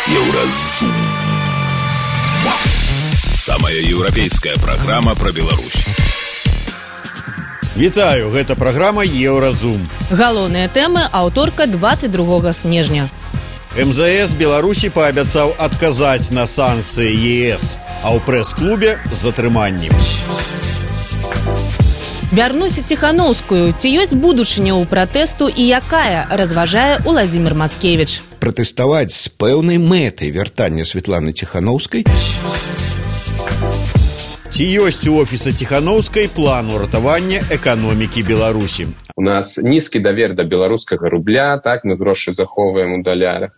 Еўразум. Самая еўрапейская праграма пра Беларусь. Вітаю, гэта праграма Еўразум. Галоўныя тэмы аўторка 22 снежня. МЗС Беларусі паабяцаў адказаць на санкцыі ЕС, а ў прэс-клубе затрыманні. Вярнуць Ціханаўскую. Ці ёсць будучыня ў пратэсту і якая, разважае Уладзімір Мацкевіч. Пратэставаць з пэўнай мэтай вяртання Святланы Ціханаўскай. Ці ёсць у офіса Ціханаўскай план уратавання эканомікі Беларусі? У нас нізкі давер да беларускага рубля, так, мы грошы захоўваем у далярах.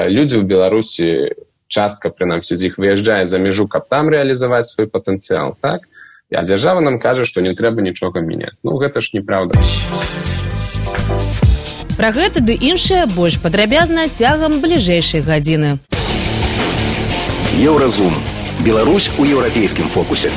Людзі ў Беларусі, частка, прынамсі, з іх выязджае за мяжу, каб там рэалізаваць свой патэнцыял, так? А дзяржава нам кажа, што не трэба нічога мяняць. Ну, гэта ж неправда. Пра гэта ды іншае больш падрабязна цягам бліжэйшай гадзіны. Еўразум. Беларусь у еўрапейскім фокусе.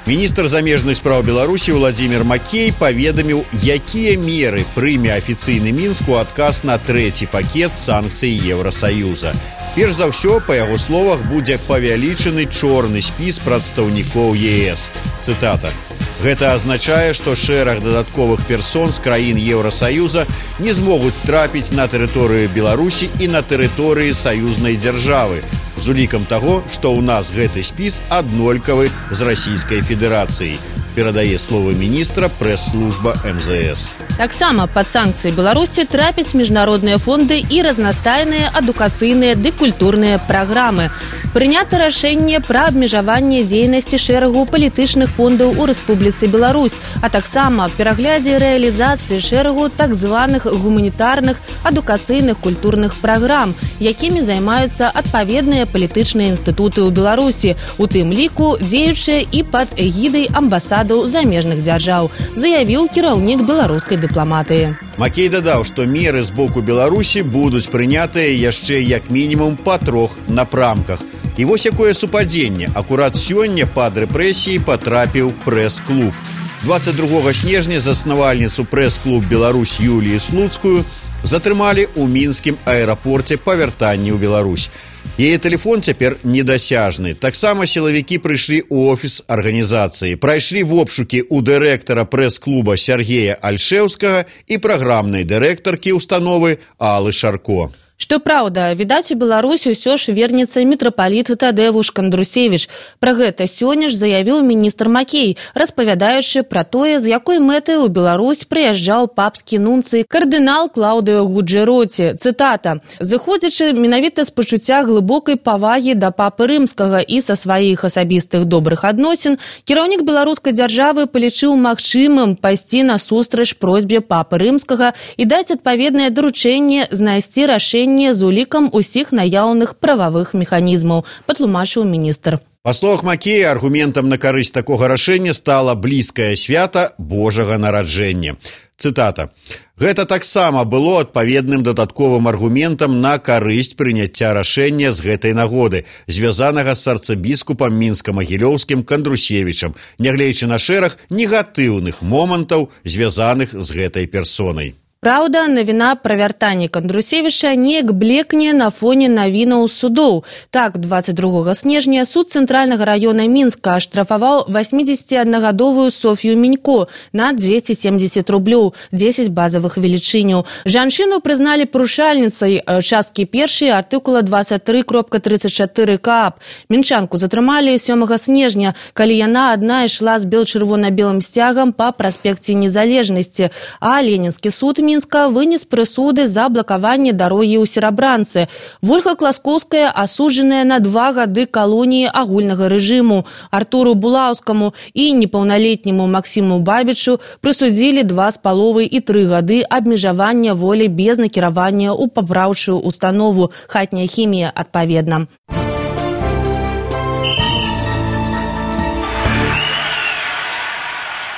Міністр замежных спраў Беларусі Уладзімір Макей паведаміў, якія меры прыме афіцыйны Мінск у адказ на трэці пакет санкцый Еўрасаюза. Перш за ўсё, па яго словах, будзе павялічаны чорны спіс прадстаўнікоў ЕС. Цытата. Гэта азначае, што шэраг дадатковых персон з краін Еўрасаюза не змогуць трапіць на тэрыторыю Беларусі і на тэрыторыі саюзнай дзяржавы, з улікам таго, што ў нас гэты спіс аднолькавы з Расійскай Федэрацыяй, перадае словы міністра прэс-служба МЗС. Таксама пад санкцыі Беларусі трапяць міжнародныя фонды і разнастайныя адукацыйныя ды культурныя праграмы. Прынята рашэнне пра абмежаванне дзейнасці шэрагу палітычных фондаў у Рэспубліцы Беларусь, а таксама пераглядзе рэалізацыі шэрагу так званых гуманітарных адукацыйных культурных праграм, якімі займаюцца адпаведныя палітычныя інстытуты ў Беларусі, у тым ліку дзеючыя і пад эгідай амбасадаў замежных дзяржаў, заявіў кіраўнік беларускай дыпламатыі. Макей дадаў, што меры з боку Беларусі будуць прынятыя яшчэ як мінімум па 3 напрамках. І вось якое супадзенне. Акурат сёння пад рэпрэсіі патрапіў прэс-клуб. 22 снежня заснавальніцу прэс-клуб Беларусь Юлію Слуцкую затрымалі ў мінскім аэрапорце па вяртанні ў Беларусь. Яе тэлефон цяпер недасяжны. Таксама сілавікі прыйшлі ў офіс арганізацыі. Прайшлі вобшукі ў дырэктара прэс-клуба Сергея Альшэўскага і праграмнай дырэктаркі ўстановы Аллы Шарко. Што праўда, відаць, у Беларусь усё ж вернецца мітрапаліт Тадэвуш Кандрусевіч. Пра гэта сёння ж заявіў міністр Макей, распавядаючы пра тое, з якой мэтай у Беларусь прыязджаў папскі нунцый кардынал Клаўдыо Гуджэроці. Цытата. «Зыходзячы менавіта з пачуцця глыбокай павагі да папы рымскага і са сваіх асабістых добрых адносін, кіраўнік беларускай дзяржавы палічыў магчымым пайсці насустрач просьбе папы рымскага і даць адпаведнае даручэнне знайсці рашэнне з улікам усіх наяўных прававых механізмаў», патлумачыў міністр. Па словах Макея, аргументам на карысць такога рашэння стала блізкае свята Божага нараджэння. Цытата. «Гэта таксама было адпаведным дадатковым аргументам на карысць прыняцця рашэння з гэтай нагоды, звязанага з арцыбіскупам мінска-магілёўскім Кандрусевічам, нягледзячы на шэраг негатыўных момантаў, звязаных з гэтай персонай». Праўда, навіна пра вяртанне Кандрусевіча неяк блекне на фоне навінаў судоў. Так, 22 снежня суд Цэнтральнага раёна Мінска аштрафаваў 81-гадовую Софію Мінько на 270 рублёў, 10 базавых велічыняў. Жанчыну прызналі парушальніцай часткі 1 артыкула 23.34 КАП. Мінчанку затрымалі 7 снежня, калі яна адна ішла з бел-чырвона-белым сцягам па праспекце Незалежнасці, а Ленінскі суд Мінска вынес прысуды за блакаванне дарогі ў Серабранцы. Вольга Класкоўская асуджаная на 2 гады калоніі агульнага рэжыму. Артуру Булаўскаму і непаўналетняму Максіму Бабічу прысудзілі 2,5 і 3 гады абмежавання волі без накіравання ў папраўчую установу, хатняя хімія адпаведна.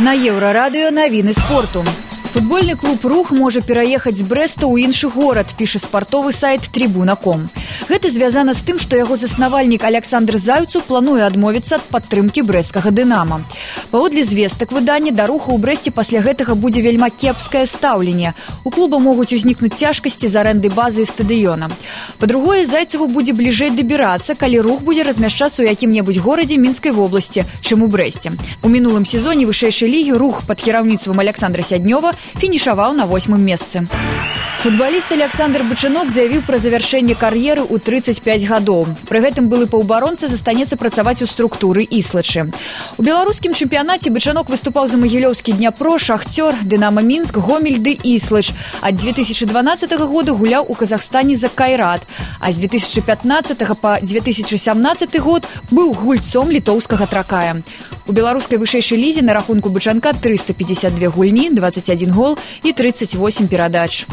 На Еўрарадыё навіны спорту. Футбольны клуб «Рух» можа пераехаць з Брэста ў іншы горад, піша спартовы сайт Трибуна.com. Гэта звязана з тым, што яго заснавальнік Александр Зайцу плануе адмовіцца ад падтрымкі брэсцкага «Дынама». Паводле звестак выдання, да «Руха» ў Брэсце пасля гэтага будзе вельмі кепскае стаўленне. У клуба могуць узнікнуць цяжкасці з арэнды базы і стадыёна. Па-другое, Зайцеву будзе бліжэй дабірацца, калі «Рух» будзе размяшчацца ў якім-небудзь горадзе Мінскай вобласці, чым у Брэсце. У мінулым сезоне вышэйшай лігі «Рух» пад кіраўніцтвам Александра Сяднёва фінішаваў на 8-м месцы. Футбаліст Александр Бычынок заявіў пра завяршэнне кар'еры ў 35 гадоў. Пры гэтым былы паўабаронца застанецца працаваць у структуры Іслачы. У беларускім чэмпіянаце Бычынок выступаў за Магілёўскі Дняпро, Шахцёр, Дынама Мінск, Гомель ды Іслач. Ад 2012 года гуляў у Казахстане за Кайрат, а з 2015 па 2017 год быў гульцом літоўскага Тракая. У беларускай вышэйшай лізе на рахунку Бычанка 352 гульні, 21 гол і 38 перадач.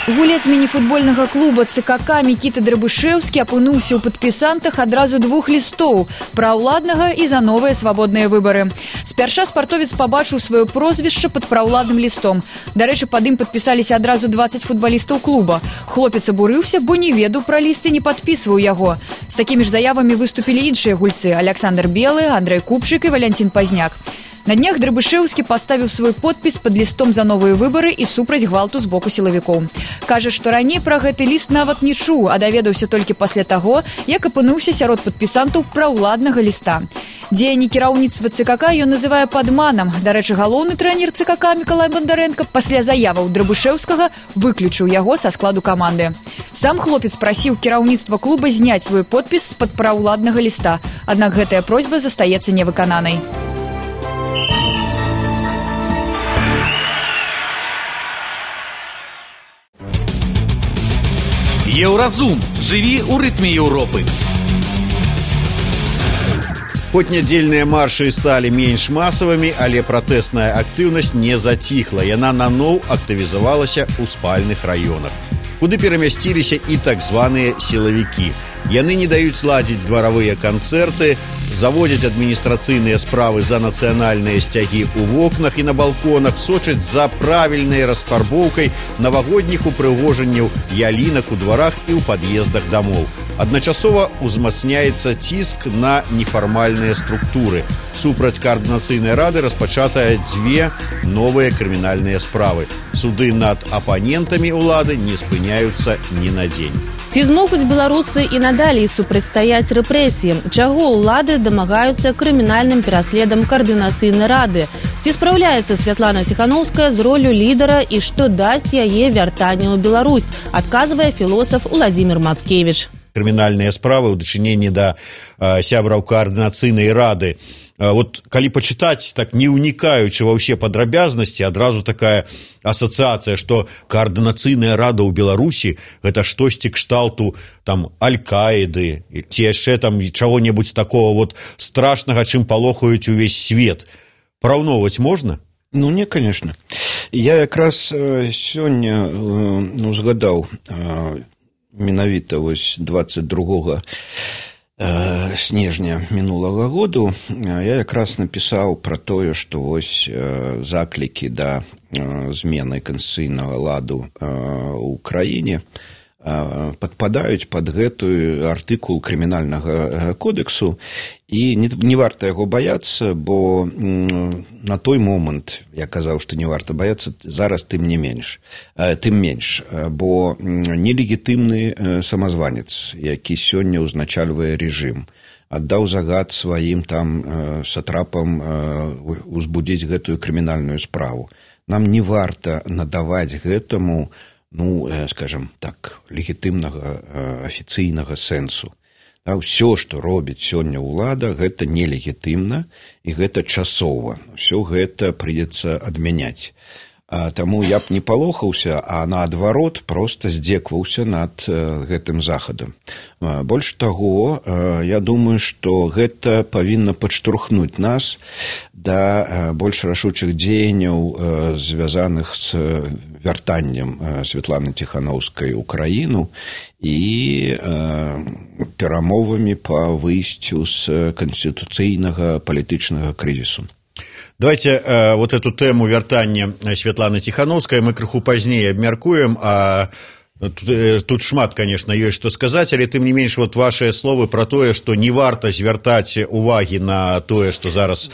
Гулец мініфутбольнага клуба ЦКК Мікіта Драбышэўскі апынуўся ў падпісантах адразу 2 лістоў пра ўладнага і за новыя свабодныя выбары. Спярша спартовец пабачыў сваё прозвішча пад праўладным лістом. Дарэчы, пад ім падпісаліся адразу 20 футбалістаў клуба. Хлопец абурыўся, бо не ведаў пра лісты, не падпісваў яго. З такімі ж заявамі выступілі іншыя гульцы: Александр Белы, Андрэй Купчык і Валянцін Пазняк. На днях Драбышэўскі паставіў свой подпіс пад лістом за новыя выбары і супраць гвалту з боку сілавікоў. Кажа, што раней пра гэты ліст нават не чуў, а даведаўся толькі пасля таго, як апынуўся сярод падпісантаў праўладнага ліста. Дзеянні кіраўніцтва ЦКК ён называе падманам. Дарэчы, галоўны трэнер ЦКК Мікалай Бандарэнка пасля заяваў Драбышэўскага выключыў яго са складу каманды. Сам хлопец прасіў кіраўніцтва клуба зняць свой подпіс з-пад праўладнага ліста. Аднак гэтая просьба застаецца невыкананай. Еўразум. Жыві ў рытме Еўропы. Хоць нядзельныя маршы сталі менш масавымі, але пратэсная актыўнасць не заціхла. Яна наноў актывізавалася ў спальных раёнах, куды перамясціліся і так званыя сілавікі. Яны не даюць ладзіць дваравыя канцэрты, заводзяць адміністрацыйныя справы за нацыянальныя сцягі ў вокнах і на балконах, сочаць за правільнай расфарбоўкай навагодніх упрыгожанняў ялінак у дварах і ў пад'ездах дамоў. Адначасова ўзмацняецца ціск на нефармальныя структуры. Супраць каардынацыйнай рады распачатыя 2 новыя крымінальныя справы. Суды над апанентамі ўлады не спыняюцца ні на дзень. Ці змогуць беларусы і надалей супрацьстаяць рэпрэсіям? Чаго ўлады дамагаюцца крымінальным пераследам каардынацыйнай рады? Ці спраўляецца Святлана Ціхановская з ролю лідара і што дасць яе вяртанне ў Беларусь? Адказвае філосаф Уладзімір Мацкевіч. Крымінальныя справы ў дачыненні да сябраў каардынацыйнай рады. Вот калі пачытаць, так не ўнікаючы ва ўсе падрабязнасці, адразу такая асацыяцыя, што каардынацыйная рада ў Беларусі гэта штосьці кшталту там Аль-Каіды ці яшчэ там чаго-небудзь такого вот страшнага, чым палохаюць увесь свет. Параўноўваць можна? Ну, не, конечно. Я якраз сёння згадаў менавіта вось 22 снежня мінулага году я якраз напісаў пра тое, што вось заклікі да змены канстытуцыйнага ладу ў краіне падпадаюць пад гэты артыкул крымінальнага кодексу, і не варта яго баяцца, бо на той момант я казаў, што не варта баяцца, зараз тым менш, бо нелегітымны самазванец, які сёння ўзначальвае рэжым, аддаў загад сваім там сатрапам узбудзіць гэтую крымінальную справу. Нам не варта надаваць гэтаму, ну, скажем так, легітымнага афіцыйнага сэнсу. Ўсё, што робіць сёння ўлада, гэта нелегітымна і гэта часова. Усё гэта прыйдзецца адмяняць. Таму я б не палохаўся, а наадварот проста здзекваўся над гэтым захадам. Больш таго, я думаю, што гэта павінна падштурхнуць нас да больш рашучых дзеянняў, звязаных з вяртаннем Святланы Ціхановскай ў краіну і перамовамі па выйсцю з канстытуцыйнага палітычнага крызісу. Давайте вот эту тэму вяртання Святланы Ціханаўскай мы крыху пазней абмяркуем, а тут шмат, конечно, ёсць што сказаць, але тым не менш вот вашыя словы пра тое, што не варта звяртаць увагі на тое, што зараз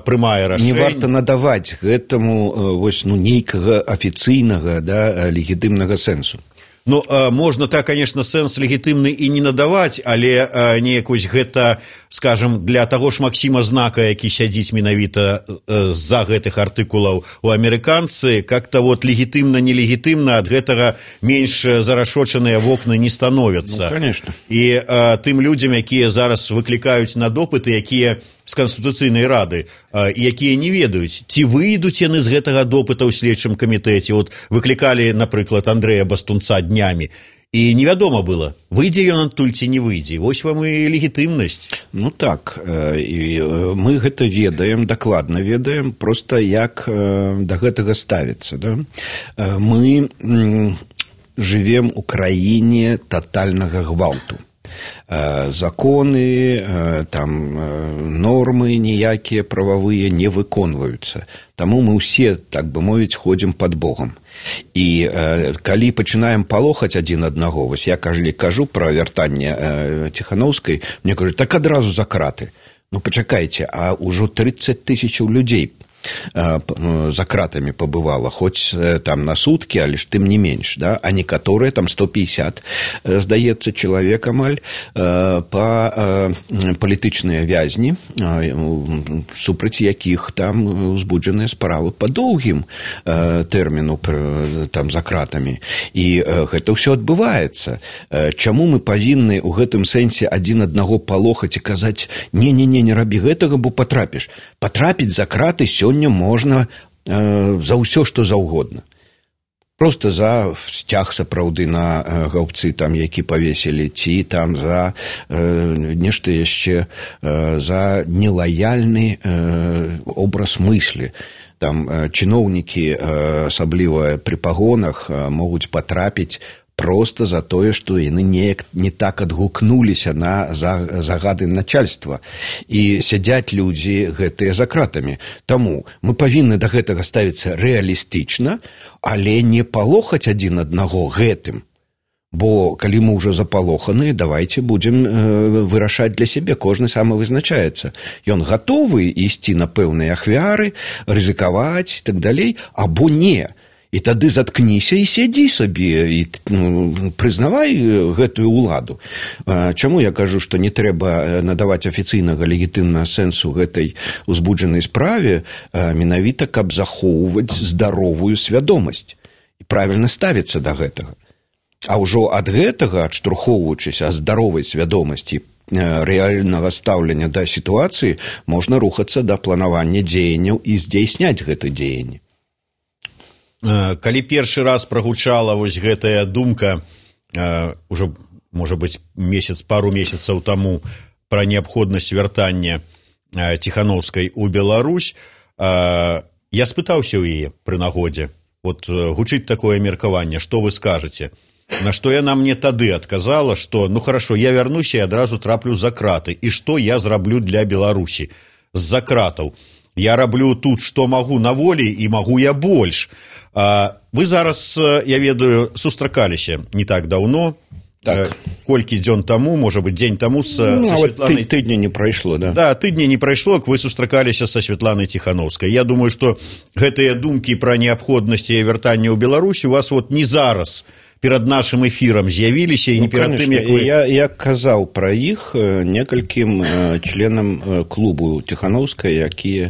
прымае рашэнне. Не варта надаваць гэтаму вось, нейкага афіцыйнага, легітымнага сэнсу. Ну, можна так, конечно, сэнс легітымны і не надаваць, але неяк вось гэта, скажем, для таго ж Максіма Знака, які сядзіць менавіта з-за гэтых артыкулаў у амерыканцы, как-то вот легітымна-нелегітымна ад гэтага менш зарашочаныя вокны не становяцца. Ну, конечно. І тым людзям, якія зараз выклікаюць на допыты, якія з Канстытуцыйнай рады, якія не ведаюць, ці выйдуць яны з гэтага допыта ў следчым камітэце. Вот выклікалі, напрыклад, Андрэя Бастунца днямі, і невядома было, выйдзе ён адтуль ці не выйдзе. Вось вам і легітымнасць. Ну так, і мы гэта ведаем, дакладна ведаем, проста як да гэтага ставіцца. Да? Мы жывем у краіне татальнага гвалту. Законы, нормы ніякія прававыя не выконваюцца. Таму мы ўсе, так бы мовіць, ходзім пад Богом. І калі пачынаем палохаць адзін аднаго, вось я кажу пра вяртанне Ціханаўскай, мне кажуць, так адразу за краты. Ну пачакайце, а ўжо 30 000 людзей за кратамі пабывала, хоць там на суткі, але ж тым не менш, да? А некаторыя там 150, здаецца, чалавек амаль па палітычныя вязні, супраць якіх там узбуджаныя справы па доўгім тэрміну там за кратамі. І гэта ўсё адбываецца. Чаму мы павінны ў гэтым сэнсе адзін аднаго палохаць і казаць, не рабі гэтага, бо патрапіш. Патрапіць за краты сёння можна за ўсё, што заўгодна. Просто за сцяг сапраўды на гаўбцы, там, які павесілі, ці там за нешта яшчэ, за нелаяльны образ мыслі. Там чыноўнікі, асабліва пры пагонах, могуць патрапіць просто за тое, што яны неяк не так адгукнуліся на загады начальства. І сядзяць людзі гэтыя за кратамі. Таму мы павінны да гэтага ставіцца рэалістычна, але не палохаць адзін аднаго гэтым. Бо калі мы ўжо запалоханы, давайте будзем вырашаць для сябе, кожны самавызначаецца. Ён гатовы ісці на пэўныя ахвяры, рызыкаваць і так далей, або не. І тады заткніся і сядзі сабе, і прызнавай гэтую ўладу. Чаму я кажу, што не трэба надаваць афіцыйнага легітымнага сэнсу гэтай узбуджанай справе, менавіта, каб захоўваць здаровую свядомасць і правільна ставіцца да гэтага. А ўжо ад гэтага, адштурхоўваючыся ад здаровай свядомасці, рэальнага стаўлення да сітуацыі, можна рухацца да планавання дзеянняў і здзейсняць гэта дзеянне. Калі першы раз прагучала вось гэтая думка, ўжо, можа быць, пару месяцаў таму пра неабходнасць вяртання Ціханаўскай у Беларусь, я спытаўся ў яе пры нагодзе. Вот гучыць такое меркаванне, што вы скажаце? На што яна мне тады адказала, што, ну хорошо, я вярнуся і адразу траплю за краты. І што я зраблю для Беларусі з-за кратаў? Я раблю тут, што магу на волі, і магу я больш. Вы зараз, я ведаю, сустракаліся не так даўно, так. Колькі дзён таму, можа быць, дзень таму са Святланай... Тыдня не прайшло, да? Да, тыдня не прайшло, вы сустракаліся са Святланай Ціханаўскай. Я думаю, што гэтыя думкі пра неабходнасць вяртання ў Беларусь у вас вот не зараз перад нашым эфірам з'явіліся, і не перад тым, як вы... Я казаў пра іх некалькім членам клубу Ціханаўскай, якія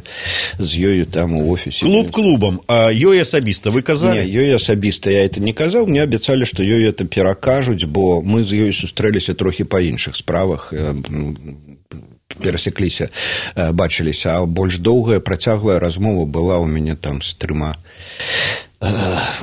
з ёю там у офісе... Клуб клубам, а ёй асабіста вы казалі? Не, ёй асабіста я это не казаў, мне абяцалі, што ёй это перакажуць, бо мы з ёй сустрэліся трохі па іншых справах, перасекліся, бачыліся, а больш доўгая, працяглая размова была ў мяне там з 3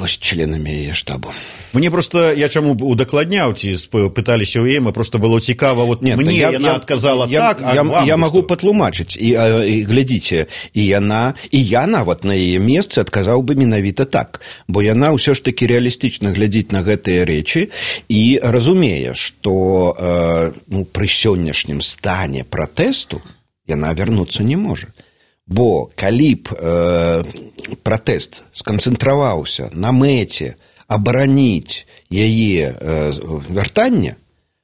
вось членамі яе штабу. Мне просто, я чаму удакладняў, ці пыталіся ў яе, просто было цікава, вот мне яна адказала так, а вам... Я магу патлумачыць, і глядзіце, і я нават на яе месцы адказаў бы менавіта так, бо яна ўсё ж такі рэалістычна глядзіць на гэтыя рэчы і разумее, што пры сённяшнім стане пратэсту яна вярнуцца не можа. Бо калі б пратэст сканцэнтраваўся на мэце абараніць яе вяртання,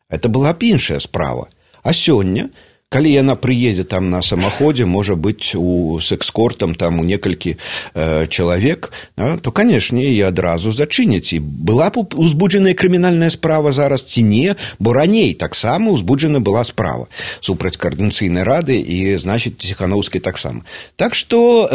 это была б іншая справа. А сёння, калі яна прыедзе там на самаходзе, можа быць с экскортам там у некалькі чалавек, то, канешне, і адразу зачыняць. І была б узбуджаная крымінальная справа зараз ці не, бо раней таксама узбуджана была справа супраць Коордынацыйнай рады і, значыць, Ціханаўскай таксама. Так што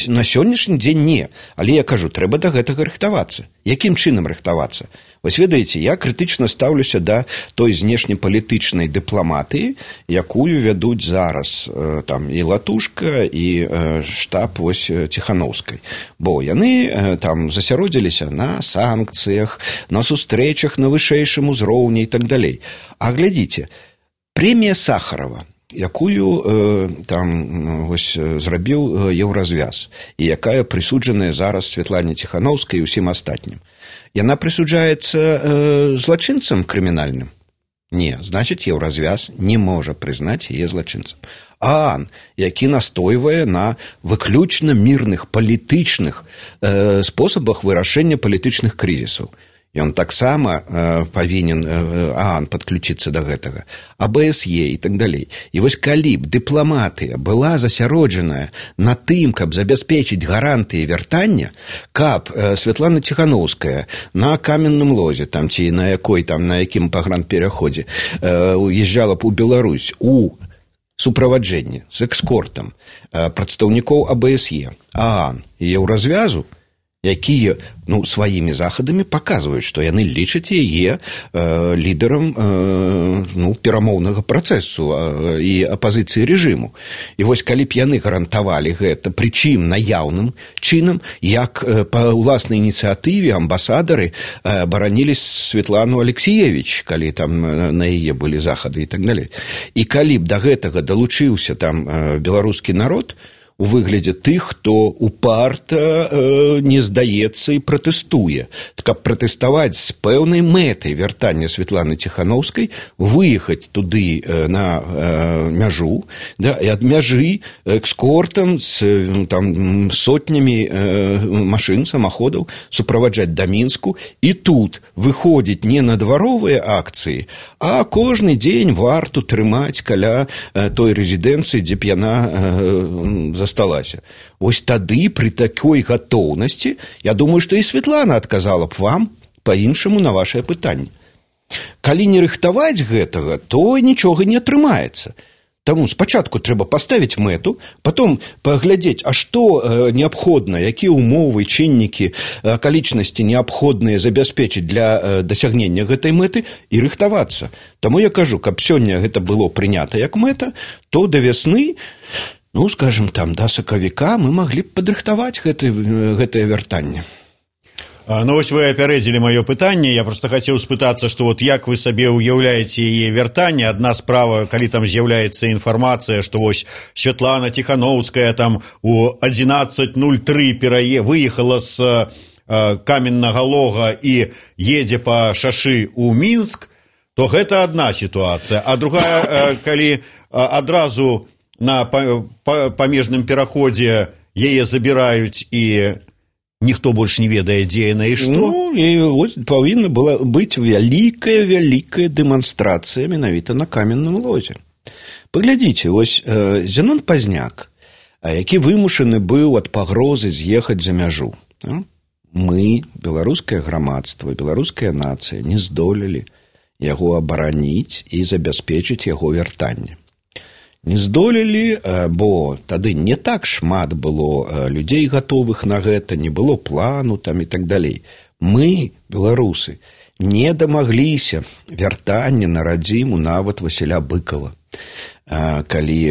на сённяшні дзень не. Але я кажу, трэба да гэтага рыхтавацца. Якім чынам рыхтавацца? Вось ведаеце, я крытычна стаўлюся да той знешнепалітычнай дыпламатыі, якую вядуць зараз там і Латушка, і штаб вось Ціханаўскай. Бо яны там засяродзіліся на санкцыях, на сустрэчах на вышэйшым узроўні і так далей. А глядзіце, прэмія Сахарова, якую там вось зрабіў Еўразвяз, і якая прысуджаная зараз Святлане Ціханаўскай і ўсім астатнім, яна прысуджаецца злачынцам крымінальным? Не, значыць, Еўразвяз не можа прызнаць яе злачынцам. ААН, які настойвае на выключна мірных палітычных спосабах вырашэння палітычных крызісаў. Ён таксама павінен ААН падключыцца да гэтага, АБСЕ і так далей. І вось калі б дыпламатыя была засяроджаная на тым, каб забяспечыць гарантыі вяртання, каб Святлана Ціханаўская на Каменным Лозе, там, ці на якім пагранпераходзе уязджала б у Беларусь у суправаджэнні з экскортам прадстаўнікоў АБСЕ, ААН і Еўразвязу, якія сваімі захадамі паказваюць, што яны лічаць яе лідарам перамоўнага працэсу і апазіцыі рэжыму. І вось калі б яны гарантавалі гэта, прычым наяўным чынам, як па ўласнай ініцыятыве амбасадары баранілі Светлану Алексіевіч, калі там на яе былі захады і так далей. І калі б да гэтага далучыўся там беларускі народ, у выглядзе тых, хто упарта не здаецца і пратэстуе. Каб пратэставаць з пэўнай мэтай вяртання Святланы Ціханаўскай, выехаць туды на мяжу, да, і ад мяжы экскортам з сотнямі машын, самаходаў суправаджаць да Мінску, і тут выходзіць не на дваровыя акцыі, а кожны дзень варту трымаць каля той рэзідэнцыі, дзе б яна засталася. Вось тады, пры такой гатоўнасці, я думаю, што і Светлана адказала б вам па-іншаму на вашае пытанне. Калі не рыхтаваць гэтага, то нічога не атрымаецца. Таму спачатку трэба паставіць мэту, потом паглядзець, а што неабходна, якія ўмовы, чыннікі, акалічнасці неабходныя забяспечыць для дасягнення гэтай мэты і рыхтавацца. Таму я кажу, каб сёння гэта было прынята як мэта, то да вясны, скажем, там, да сакавіка мы маглі б падрыхтаваць гэтае вяртанне. Вось вы апярэдзілі маё пытанне. Я просто хацеў спытацца, што вот як вы сабе ўяўляеце яе вяртанне. Адна справа, калі там з'яўляецца інфармацыя, што вось Святлана Ціханаўская там у 11:03 выехала з Каменнага Лога і едзе па шашы ў Мінск, то гэта адна сітуацыя. А другая, калі адразу на памежным пераходзе яе забіраюць і ніхто больш не ведае, дзе яна і што. Павінна была быць вялікая дэманстрацыя менавіта на Каменным Лозе. Паглядзіце, вось Зенон Пазняк, які вымушаны быў ад пагрозы з'ехаць за мяжу. Мы, беларускае грамадства, беларуская нацыя, не здолелі яго абараніць і забяспечыць яго вяртанне. Не здолелі, бо тады не так шмат было людзей гатовых на гэта, не было плану там і так далей. Мы, беларусы, не дамагліся вяртання на радзіму нават Васіля Быкова. Калі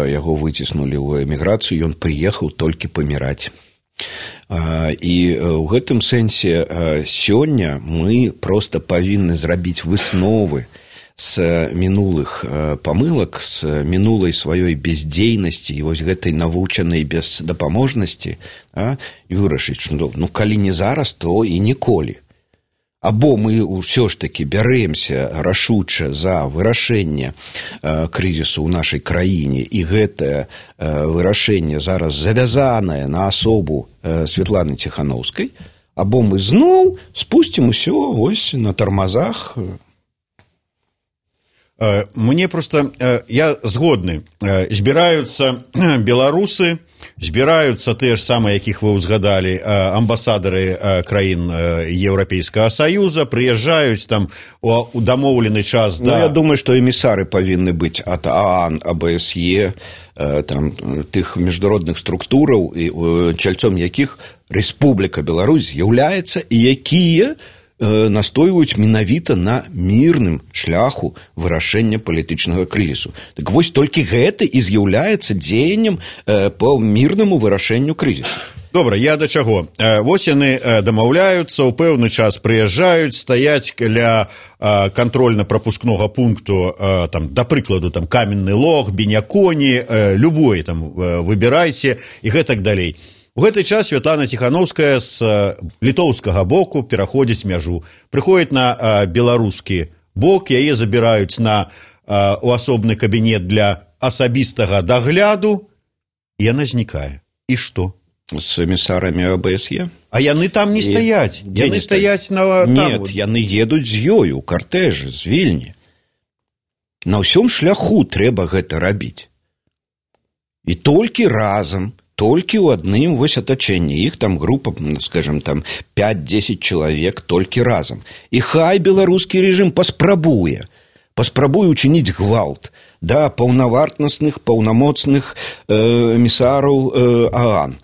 яго выціснулі ў эміграцыю, ён прыехаў толькі паміраць. І ў гэтым сэнсе сёння мы проста павінны зрабіць высновы з мінулых памылак, з мінулай сваёй бяздзейнасці і вось гэтай навучанай бездапаможнасці і вырашыць, што калі не зараз, то і ніколі. або мы ўсё ж таки бярэмся рашуча за вырашэнне крызісу ў нашай краіне, і гэтае вырашэнне зараз завязанае на асобу Светланы Ціхановскай, або мы зноў спусцім усё вось на тармазах. Мне просто, я згодны, збіраюцца беларусы, збіраюцца тыя ж самыя, якіх вы ўзгадалі, амбасадары краін Еўрапейскага Саюза, прыязджаюць там у дамоўлены час. Я думаю, што эмісары павінны быць ад ААН, АБСЕ, там, тых міжнародных структураў, чальцом якіх Рэспубліка Беларусь з'яўляецца, і якія настойваюць менавіта на мірным шляху вырашэння палітычнага крызісу. Так вось толькі гэта і з'яўляецца дзеяннем па мірнаму вырашэнню крызісу. Добра, я да чаго? Вось яны дамаўляюцца, у пэўны час прыязджаюць, стаяць каля кантрольна-прапускнога пункту, там, да прыкладу, там, Каменны Лог, Беняконі, любой там выбірайце і гэтак далей. У гэты час Светлана Ціхановская з літоўскага боку пераходзіць мяжу, прыходзіць на беларускі бок, яе забіраюць у асобны кабінет для асабістага дагляду, і яна знікае. І што? З эмісарамі АБСЕ? А яны там не стаяць. Яны стаяць на... Нет, яны едуць з ёю ў картэжы, з Вільні. На ўсём шляху трэба гэта рабіць. І толькі разам, толькі ў адным вось атачэнні. Іх там група, скажем, там 5-10 чалавек толькі разам. І хай беларускі рэжым паспрабуе учыніць гвалт да паўнавартасных, паўнамоцных эмісараў ААН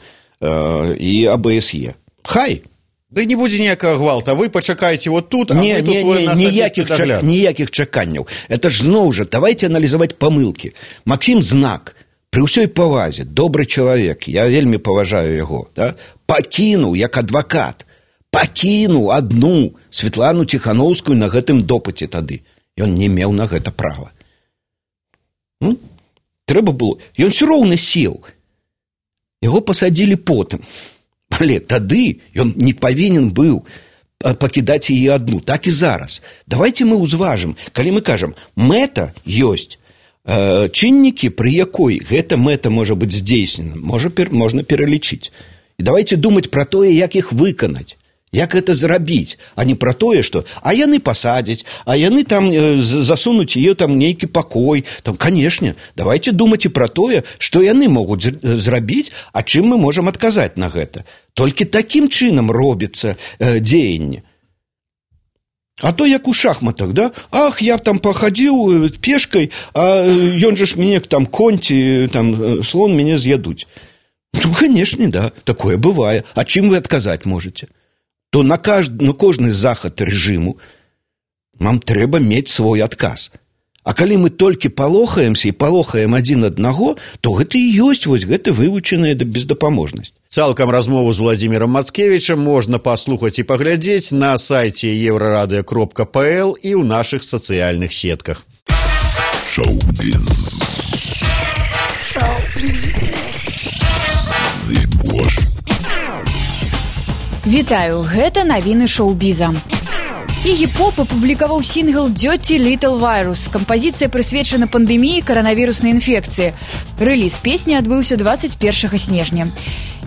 і АБСЕ. Хай! Да не будзе ніякага гвалта, вы пачакайце вот тут, а мы тут на асабісты дагляд. Ніякіх чаканняў. Это ж зноў жа, давайте аналізаваць памылкі. Максім Знак, пры ўсёй павазе, добры чалавек, я вельмі паважаю яго, да? Пакінуў, як адвакат, пакінуў адну Светлану Ціхановскую на гэтым допыце тады. Ён не меў на гэта права. Трэба было, ён ўсё роўна сеў. Яго пасадзілі потым. Але тады ён не павінен быў пакідаць яе адну, так і зараз. Давайте мы ўзважым, калі мы кажам, мэта ёсць, чыннікі, пры якой гэта мэта можа быць здзейснена, можна пералічыць. І давайте думаць пра тое, як іх выканаць, як гэта зрабіць, а не пра тое, што яны пасадзяць, а яны там засунуць яе там нейкі пакой. Там, канешне, давайте думаць і пра тое, што яны могуць зрабіць, а чым мы можам адказаць на гэта. Толькі такім чынам робіцца дзеянне. А то як у шахматах, да? Ах, я там пахадзіў пешкай, а ён жа ж мяне там конь ці там слон мяне з'ядуць. Ну, конечно, да, такое бывае. А чым вы адказаць можаце? То на кожны захад рэжыму нам трэба мець свой адказ. А калі мы толькі палохаемся і палохаем адзін аднаго, то гэта і ёсць вось гэта вывучаная бездапаможнасць. Цалкам размову з Владзімірам Мацкевічам можна паслухаць і паглядзець на сайце еврорадио.пл і ў нашых сацыяльных сетках. Шоу-біз. Вітаю, гэта навіны шоу-біза. Ігі Поп апублікаваў сінгл «Dirty Little Virus». Кампазіцыя прысвечана пандэміі каранавіруснай інфекцыі. Рэліз песні адбыўся 21 снежня.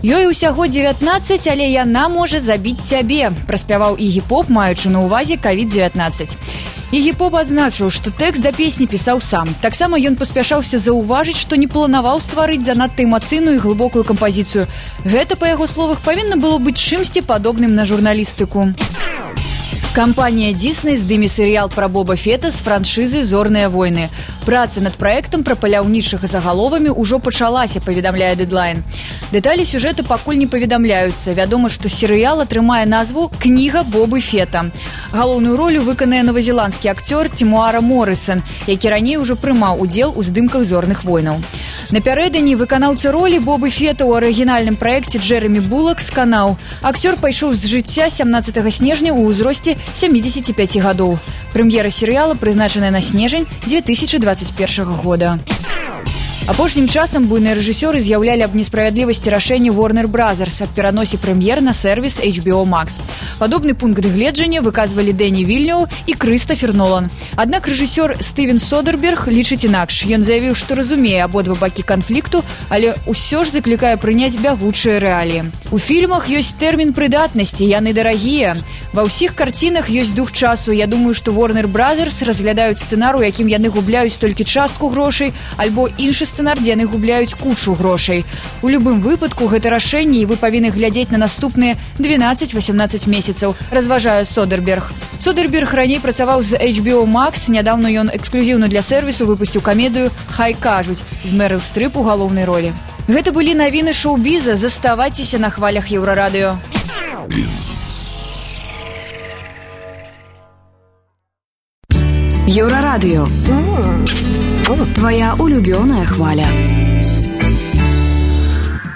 Ёй усяго 19, але яна можа забіць цябе, праспяваў Ігі Поп, маючы на ўвазе COVID-19. Ігі Поп адзначыў, што тэкст да песні пісаў сам. Таксама ён паспяшаўся заўважыць, што не планаваў стварыць занадта эмацыйную і глыбокую кампазіцыю. Гэта, па яго словах, павінна было быць чымсьці падобным на журналістыку. Кампанія Disney здыме серыял пра Боба Фета з франшызы «Зорныя войны». Праца над праектам пра паляўнічых загаловамі ўжо пачалася, паведамляе Deadline. Дэталі сюжэта пакуль не паведамляюцца. Вядома, што серыял атрымае назву «Кніга Бобы Фета». Галоўную ролю выканае новазеландскі акцёр Тімуара Моррысон, які раней ужо прымаў удзел у здымках «Зорных войнаў». Напярэдадні выканаўца ролі Бобы Фета ў арыгінальным праекце Джэрэмі Булак сканаў. Акцёр пайшоў з жыцця 17 снежня ў узросце 75 гадоў. Прэм'ера серыяла прызначаная на снежань 2021 года. Апошнім часам буйныя рэжысёры з'яўлялі аб несправядлівасці рашэння Warner Brothers аб пераносе прэм'ер на сервіс HBO Max. Падобны пункт гледжання выказвалі Дэні Вільняў і Крыстафер Нолан. Аднак рэжысёр Стывен Содерберг лічыць інакш. Ён заявіў, што разумее абодва бакі канфлікту, але ўсё ж заклікае прыняць бягучыя рэаліі. У фільмах ёсць тэрмін прыдатнасці, яны дарагія. Ва ўсіх карцінах ёсць дух часу. Я думаю, што Warner Brothers разглядаюць сцэнар, у якім яны губляюць толькі частку грошай, альбо іншы сцэнар, дзе яны губляюць кучу грошай. У любым выпадку гэта рашэнне, і вы павінны глядзець на наступныя 12-18 месяцаў, разважае Содерберг. Содерберг раней працаваў з HBO Max, нядаўна ён эксклюзіўна для сервісу выпусціў камедыю «Хай кажуць» з Мэрыл Стрып у галоўнай ролі. Гэта былі навіны шоу-біза. Заставайцеся на хвалях Еўрарадыё. Еўрарадыё. Твоя улюбёная хваля.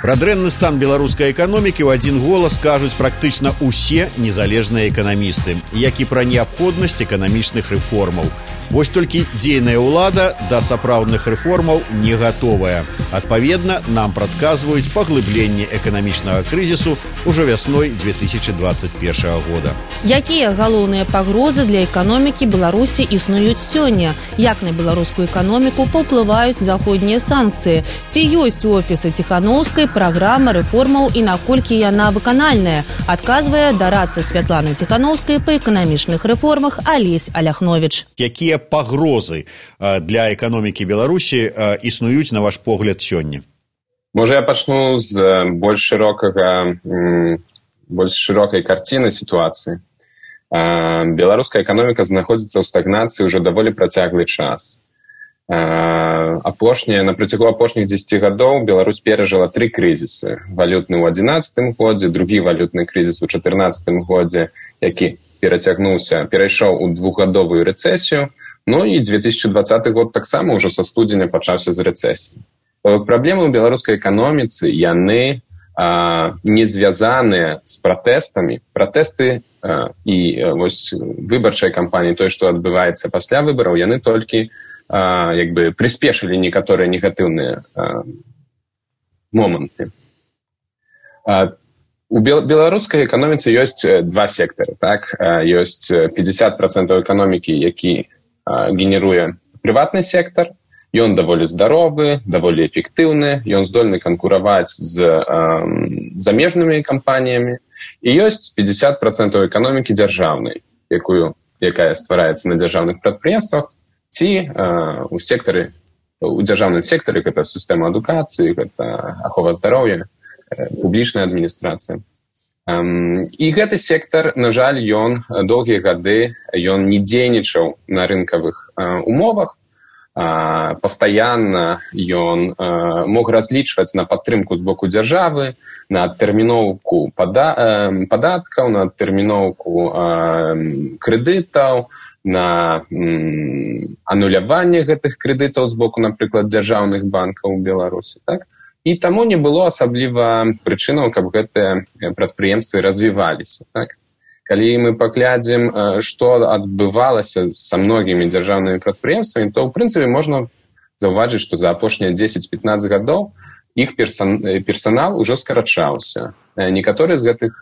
Пра дрэнны стан беларускай эканомікі ў адзін голас кажуць практычна ўсе незалежныя эканамісты, як і пра неабходнасць эканамічных рэформаў. Вось толькі дзейная ўлада да сапраўдных рэформаў не гатовая. Адпаведна, нам прадказваюць паглыбленне эканамічнага крызісу ўжо вясной 2021 года. Якія галоўныя пагрозы для эканомікі Беларусі існуюць сёння? Як на беларускую эканоміку паўплываюць заходнія санкцыі? Ці ёсць у офіса Ціханаўскай праграма рэформаў і наколькі яна выканальная? Адказвае дарадца Святланы Ціханаўскай па эканамічных рэформах Алесь Аляхновіч. Якія пагрозы для эканомікі Беларусі існуюць, на ваш погляд, сёння? Можа, я пачну з больш шырокай карціны сітуацыі. Беларуская эканоміка знаходзіцца ў стагнацыі ўжо даволі працяглы час. На працягу апошніх 10 гадоў Беларусь перажыла 3 крызісы. Валютны ў 2011 годзе, другі валютны крызіс у 2014 годзе, які перайшоў у двухгадовую рэцэсію. Ну і 2020 год таксама ўжо са студзеня пачаўся з рэцэсіі. Праблемы ў беларускай эканоміцы, яны не звязаныя з пратэстамі. Пратэсты і вось выбарчыя кампаніі, тое, што адбываецца пасля выбараў, яны толькі прыспешылі некаторыя негатыўныя моманты. У беларускай эканоміцы ёсць два сектары. Ёсць 50% эканомікі, які генеруе прыватны сектар. Ён даволі здаровы, даволі эфектыўны, ён здольны канкураваць з замежнымі кампаніямі. І ёсць 50% эканомікі дзяржаўнай, якая ствараецца на дзяржаўных прадпрыемствах, ці у дзяржаўным сектары, гэта сістэма адукацыі, гэта ахова здароўя, публічная адміністрацыя. І гэты сектар, на жаль, ён доўгія гады не дзейнічаў на рынкавых умовах. Пастаянна ён мог разлічваць на падтрымку з боку дзяржавы, на адтэрміноўку падаткаў, на адтэрміноўку крэдытаў, на ануляванне гэтых крэдытаў з боку, напрыклад, дзяржаўных банкаў у Беларусі. І таму не было асабліва прычынаў, каб гэтыя прадпрыемствы развіваліся. Калі мы паглядзім, што адбывалася са многімі дзяржаўнымі прадпрыемствамі, то, ў прынцыпе, можна заўважыць, што за апошнія 10-15 гадоў іх персанал ужо скарачаўся. Некаторыя з гэтых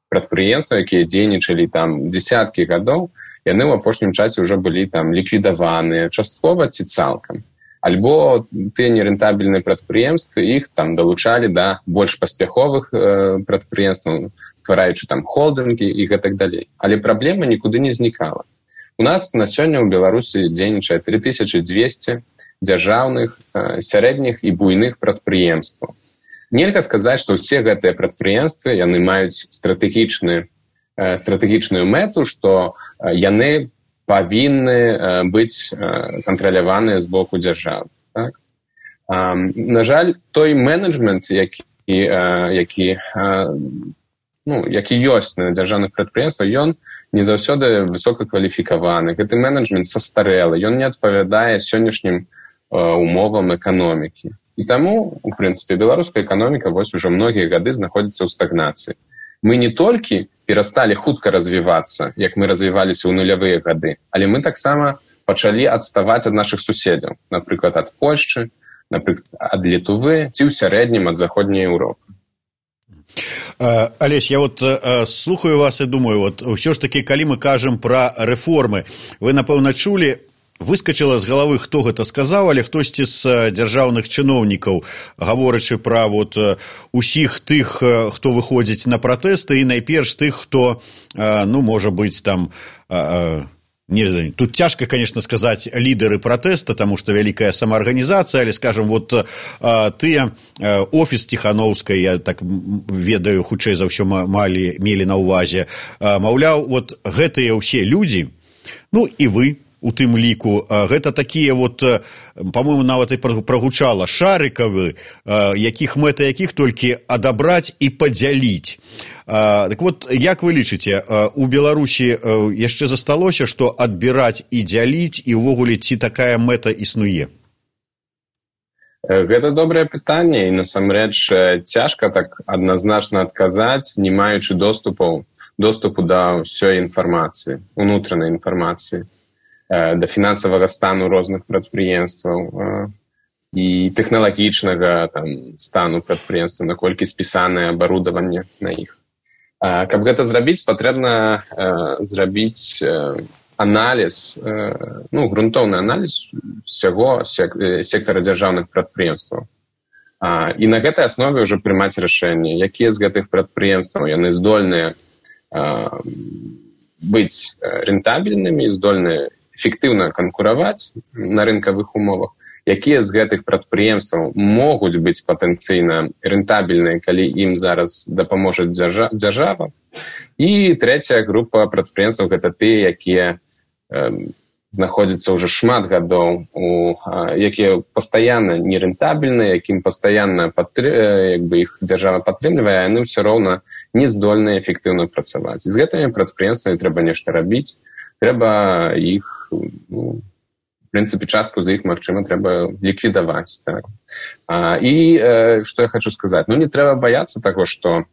прадпрыемстваў, якія дзейнічалі там дзесяткі гадоў, яны ў апошнім часе ўжо былі там ліквідаваныя часткова ці цалкам. Альбо тыя нерэнтабельныя прадпрыемствы, іх там далучалі да больш паспяховых прадпрыемстваў, ствараючы там холдынгі і гэтак далей. Але праблема нікуды не знікала. У нас на сёння ў Беларусі дзейнічае 3200 дзяржаўных, сярэдніх і буйных прадпрыемстваў. Нельга сказаць, што ўсе гэтыя прадпрыемствы, яны маюць стратэгічную мэту, што яны павінны быць кантраляваныя з боку дзяржавы. На жаль, той менеджмент, які ёсць на дзяржаўных прадпрыемствах, ён не заўсёды высокакваліфікаваны. Гэты менеджмент састарэлы, ён не адпавядае сённяшнім умовам эканомікі. І таму, у прынцыпе, беларуская эканоміка вось ужо многія гады знаходзіцца ў стагнацыі. Мы не толькі перасталі хутка развівацца, як мы развіваліся ў нулявыя гады, але мы таксама пачалі адставаць ад нашых суседзяў, напрыклад, ад Польшчы, напрыклад, ад Літвы ці ў сярэднім ад заходняй Еўропы. Алесь, я вот слухаю вас и думаю, вот ўсё ж таки, калі мы кажам пра рэформы, вы, напэўна, чулі, выскочила з галавы, хто гэта сказаў, але хтосьці з дзяржаўных чыноўнікаў, гаворачы пра вот усіх тых, хто выходзіць на пратэсты, і найперш тых, хто, ну, можа быць, там, не знаю, тут цяжка, конечно, сказаць лідары пратэста, таму што вялікая самаарганізацыя, але, скажем, вот тыя офіс Ціхановскай, я так ведаю, хутчэй за ўсё мелі на ўвазе, маўляў, вот гэтыя ўсе людзі, ну, і вы, у тым ліку, гэта такія вот, по-моему, нават і прагучала, шарыкавы, мэта якіх толькі адабраць і падзяліць. Так вот, як вы лічыце, у Беларусі яшчэ засталося, што адбіраць і дзяліць, і ўвогуле ці такая мэта існуе? Гэта добрае пытанне, і насамрэч цяжка так адназначна адказаць, не маючы доступу да ўсёй інфармацыі, унутранай інфармацыі, да фінансавага стану розных прадпрыемстваў і тэхналагічнага стану прадпрыемства, наколькі спісанае абарудаванне на іх. Каб гэта зрабіць, патрэбна зрабіць аналіз, ну, грунтоўны аналіз усяго сектара дзяржаўных прадпрыемстваў. І на гэтай аснове ўжо прымаць рашэнне, якія з гэтых прадпрыемстваў яны здольныя быць рэнтабельнымі, здольныя эфектыўна канкураваць на рынкавых умовах, якія з гэтых прадпрыемстваў могуць быць патэнцыйна рэнтабельныя, калі ім зараз дапаможа дзяржава. І трэцяя група прадпрыемстваў гэта тыя, якія знаходзяцца ўжо шмат гадоў, якія пастаянна нерэнтабельныя, якім пастаянна іх дзяржава падтрымлівае, яны ўсё роўна не здольныя эфектыўна працаваць. І з гэтымі прадпрыемствамі трэба нешта рабіць, трэба іх, ну, в прынцыпе, частку з іх, магчыма, трэба ліквідаваць. Так. І што я хочу сказаць, ну, не трэба баяцца таго, што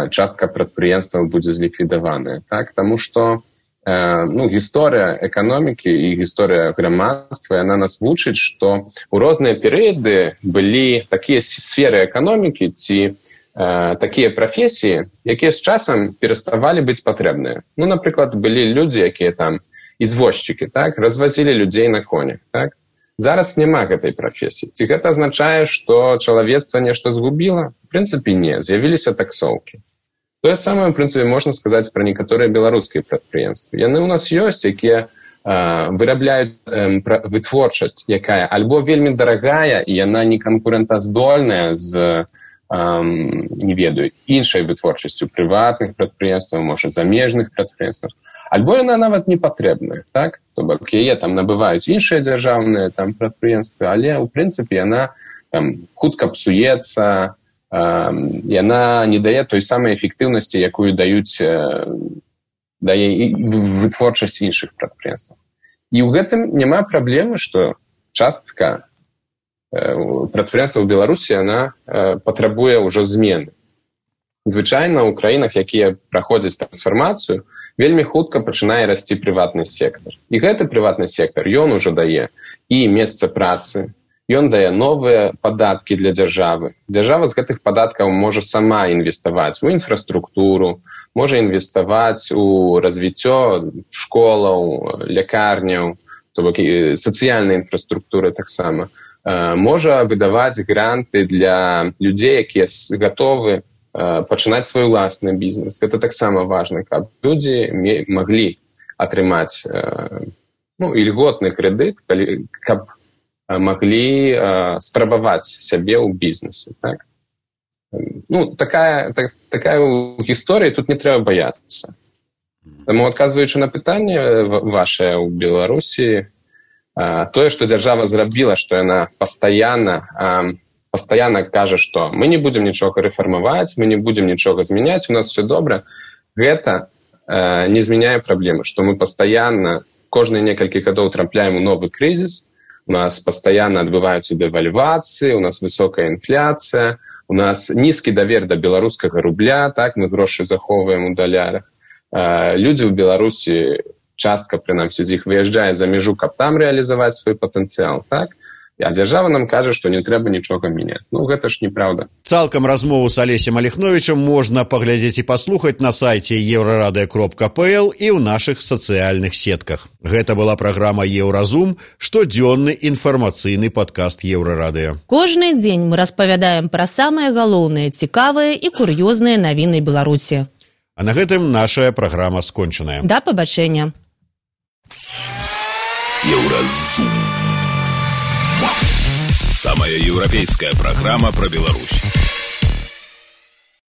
частка прадпрыемстваў будзе зліквідаваная, так, таму што ну, гісторыя эканомікі і гісторыя грамадства, яна нас вучыць, што ў розныя перыяды былі такія сферы эканомікі ці такія прафесіі, якія з часам пераставалі быць патрэбныя. Ну, напрыклад, былі людзі, якія там извозчыкі, так, развазілі людзей на конях, так. Зараз няма гэтай прафесіі. Ці гэта азначае, што чалавецтва нешта згубіла? В прынцыпе, не. З'явіліся таксоўкі. Тое самае, в прынцыпе, можна сказаць пра некаторыя беларускія прадпрыемствы. Яны ў нас ёсць, якія вырабляюць вытворчасць, якая альбо вельмі дарагая, і яна не канкурэнтаздольная з, не ведаю, іншай вытворчасцю прыватных прадпрыемстваў, можа, замежных прадпрыемстваў, альбо яна нават не патрэбная, так? То бок яе там набываюць іншыя дзяржаўныя там прадпрыемствы, але, ў прынцыпе, яна там хутка псуецца, яна не дае той самай эфектыўнасці, якую дае вытворчасць іншых прадпрыемстваў. І ў гэтым няма праблемы, што частка прадпрыемстваў у Беларусі, яна патрабуе ўжо змены. Звычайна ў краінах, якія праходзяць трансфармацыю, вельмі хутка пачынае расці прыватны сектар. І гэты прыватны сектар, ён ужо дае і месца працы, ён дае новыя падаткі для дзяржавы. Дзяржава з гэтых падаткаў можа сама інвеставаць у інфраструктуру, можа інвеставаць у развіццё школаў, лякарняў, то бок сацыяльнай інфраструктуры таксама. Можа выдаваць гранты для людзей, якія гатовы пачынаць свой уласны бізнес. Гэта таксама важна, каб людзі маглі атрымаць ільготны крэдыт, каб маглі спрабаваць сябе ў бізнесе. Так? Ну, такая гісторыя, тут не трэба баяцца. Таму, адказваючы на пытанне вашае ў Беларусі, тое, што дзяржава зрабіла, што яна пастаянна кажа, што мы не будзем нічога рэфармаваць, мы не будзем нічога змяняць, у нас все добра, гэта не змяняе праблемы, што мы пастаянна, кожныя некалькі гадоў трапляем у новы крызіс, у нас пастаянна адбываюцца дэвальвацыі, у нас высокая інфляцыя, у нас нізкі давер да беларускага рубля, так, мы грошы захоўваем у далярах. Людзі ў Беларусі, частка, прынамсі, з іх выязджае за мяжу, каб там рэалізаваць свой патэнцыял, так? А дзяржава нам кажа, што не трэба нічога мяняць. Ну, гэта ж неправда. Цалкам размову з Алесем Алехновічам можна паглядзець і паслухаць на сайце еўрарадыё.пл і ў нашых сацыяльных сетках. Гэта была праграма «Еўразум», штодзённы інфармацыйны падкаст Еўрарадыё. Кожны дзень мы распавядаем пра самыя галоўныя, цікавыя і кур'ёзныя навіны Беларусі. А на гэтым наша праграма скончаная. Да пабачэння. Еўразум. Самая европейская программа про Беларусь.